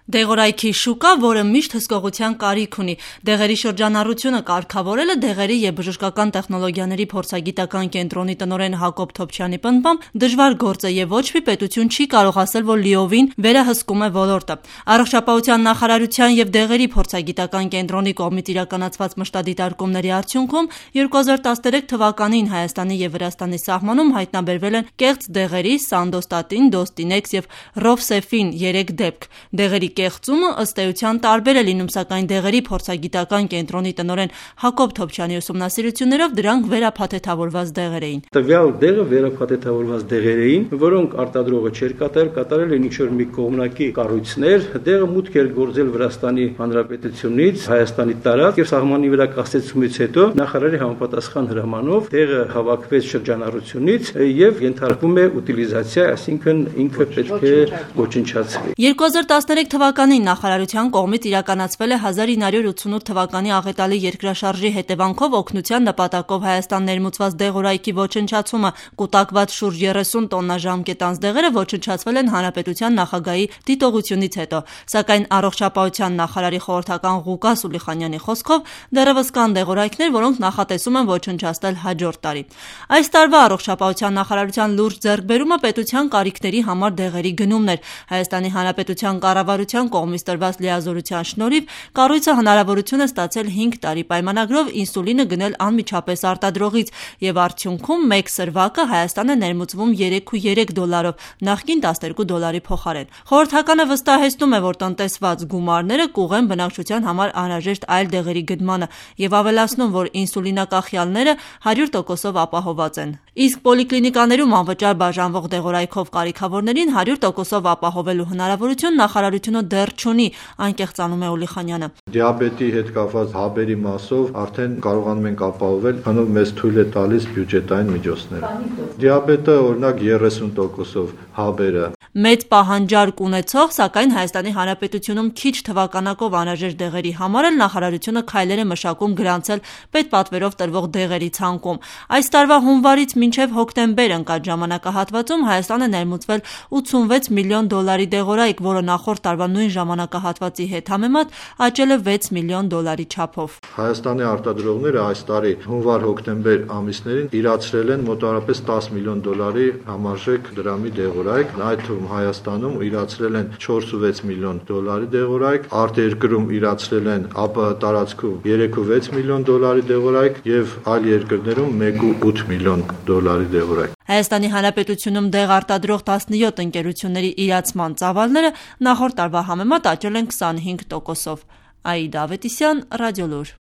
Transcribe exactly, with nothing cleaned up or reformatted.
Դեղորայքի շուկա, որը միշտ հսկողության կարիք ունի։ Դեղերի շրջանառությունը կարգավորելը դեղերի և բժշկական տեխնոլոգիաների փորձագիտական կենտրոնի տնօրեն Հակոբ Թոփչյանի պնդմամբ դժվար գործ է և ոչ մի պետություն չի կարող ասել, որ լիովին վերահսկում է ոլորտը։ Առողջապահության նախարարության և դեղերի փորձագիտական կենտրոնի կողմից իրականացված մշտադիտարկումների արդյունքում երկու հազար տասներեք թվականին Հայաստանի և Վրաստանի սահմանում հայտնաբերվել են կեղծ դեղերի Սանդոստատին, Դոստինեքս և Ռովսեֆին երեք դեպք։ Դեղերի կեղծումը ըստ էության տարբեր է լինում, սակայն դեղերի փորձագիտական կենտրոնի տնօրեն Հակոբ Թոփչյանի ուսումնասիրություններով դրանք վերափաթեթավորված դեղեր էին։ Տվյալ դեղը վերափաթեթավորված դեղեր էին, որոնք արտադրողը չէր կատարել, կատարել են ինչ-որ մի կողմնակի կառույցներ, դեղը մուտք էր գործել Վրաստանի Հանրապետությունից Հայաստանի տարածք եւ սահմանի վրա կասեցումից հետո նախարարի համապատասխան հրամանով դեղը հավաքվեց շրջանառությունից եւ ենթարկվում է ուտիլիզացիա, այսինքն ինքը պետք է ոչնչացվի։ երկու հազար տասներեք թվականին նախարարության կողմից իրականացվել է հազար ինը հարյուր ութսունութ թվականի աղետալի երկրաշարժի հետևանքով օգնության նպատակով Հայաստան ներմուծված դեղորայքի ոչնչացումը։ Կուտակված շուրջ երեսուն տոննա ժամկետանց դեղերը ոչնչացվել են հանրապետության նախագահի դիտողությունից հետո, սակայն առողջապահության նախարարի խորհրդական Ղուկաս Ուլիխանյանի խոսքով դեռևս կան դեղորայքներ, որոնք նախատեսում են ոչնչացնել հաջորդ տարի։ Այս տարվա առողջապահության նախարարության լուրջ ձեռքբերումը պետության կարիքների համար դեղերի գնումն էր։ Հայաստանի Հանրապետության կառավարության կողմից տրված լիազորության շնորհիվ կառույցը հնարավորություն է ստացել հինգ տարի պայմանագրով ինսուլինը գնել անմիջապես արտադրողից եւ արդյունքում մեկ սրվակը Հայաստան է ներմուծվում երեք ու երեք դոլարով, նախկին տասներկու դոլարի փոխարեն։ Խորհրդականը վստահեցնում է, որ տնտեսված գումարները կուղեն բնակչության համար անհրաժեշտ այլ դեղերի գնմանը եւ ավելացնում, որ ինսուլինակախյալները հարյուր տոկոսով ապահովված են։ Իսկ պոլիկլինիկաներում անվճար բաժանվող դեղորայքով կարիքավորներին հարյուր տոկոսով ապահովելու հնարավորություն նախարարությունը դեռ չունի, անկեղծանում է Ուլիխանյանը։ Դիաբետի հետ կապված հաբերի մասով արդեն կարողանում ենք ապահովել, քանով մեզ թույլ է տալիս բյուջետային միջոցները։ Դիաբետը օրինակ երեսուն տոկոսով հաբերը։ Մեծ պահանջարկ ունեցող, սակայն Հայաստանի Հանրապետությունում քիչ թվականակով անհրաժեշտ դեղերի համար էլ նախարարությունը քայլեր է մշակում գրանցել պետպատվերով տրվող դեղերի ցանկում։ Այս տարվա հունվարից մինչև հոկտեմբեր ընկած ժամանակահատվածում Հայաստան է ներմուծվել ութսունվեց միլիոն դոլարի դեղորայք, որը նախորդ տարվա նույն ժամանակահատվածի հետ համեմատ աճել է վեց միլիոն դոլարի չափով։ Հայաստանի արտադրողները այս տարի հունվար-հոկտեմբեր ամիսներին իրացրել են մոտավորապես տասը միլիոն դոլարի համարժեք դրամի դեղորայք, այդ թվում Հայաստանում իրացրել են չորս ու վեց միլիոն դոլարի դեղորայք, արտերկրում իրացրել են ԱՊՀ տարածքում երեք ու վեց միլիոն դոլարի դեղորայք եւ այլ երկրներում մեկ ու ութ միլիոն դոլարի դեղորայք։ Հայաստանի Հանրապետությունում դեղ արտադրող տասնյոթ ընկերությունների իրացման ծավալները նախորդ տարվա համեմատ աճել են քսանհինգ տոկոսով։ Աիդա Ավետիսյան, Ռադիոլուր։